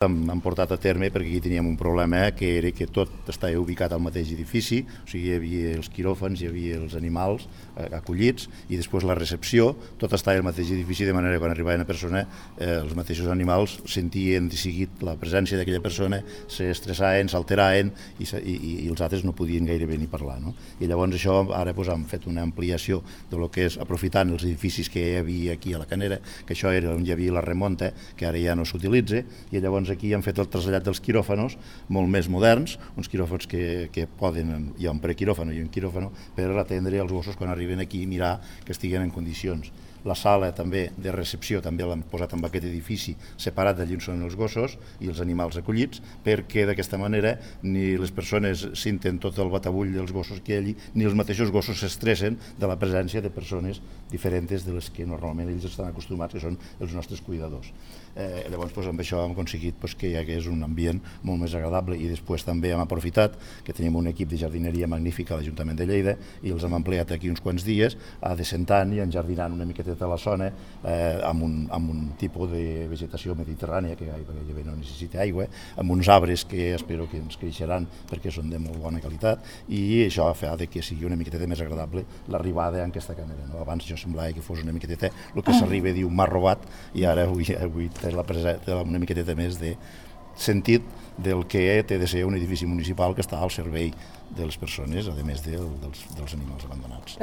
Hem portat a terme perquè aquí teníem un problema que era que tot estava ubicat al mateix edifici, o sigui, hi havia els quiròfans, hi havia els animals acollits i després la recepció, tot estava al mateix edifici, de manera que quan arribava una persona els mateixos animals sentien de seguit la presència d'aquella persona, s'estressaven, s'alteraven i els altres no podien gairebé ni parlar. No? I llavors això ara hem fet una ampliació de lo que és aprofitant els edificis que hi havia aquí a la Canera, que això era on hi havia la remunta, que ara ja no s'utilitza, i llavors aquí han fet el trasllat dels quiròfanos molt més moderns, uns quiròfans que poden, hi ha un prequiròfano i un quiròfano, per atendre els gossos quan arriben aquí i mirar que estiguen en condicions. La sala també de recepció també l'han posat en aquest edifici separat d'allí on són els gossos i els animals acollits, perquè d'aquesta manera ni les persones senten tot el batabull dels gossos que hi ha allí, ni els mateixos gossos s'estressen de la presència de persones diferents de les que normalment ells estan acostumats, que són els nostres cuidadors. Llavors amb això hem aconseguit que hi hagués un ambient molt més agradable i després també hem aprofitat que tenim un equip de jardineria magnífic a l'Ajuntament de Lleida i els hem ampliat aquí uns quants dies a descentant i enjardinant una miqueta de la zona amb un tipus de vegetació mediterrània que gairebé no necessita aigua, amb uns arbres que espero que ens creixeran perquè són de molt bona qualitat i això fa que sigui una miqueta més agradable l'arribada en aquesta Canera. No? Abans jo semblava que fos una miqueta el que s'arriba a dir un mar robat i ara avui té una miqueta més de sentit del que té de ser un edifici municipal que està al servei de les persones, a més dels animals abandonats.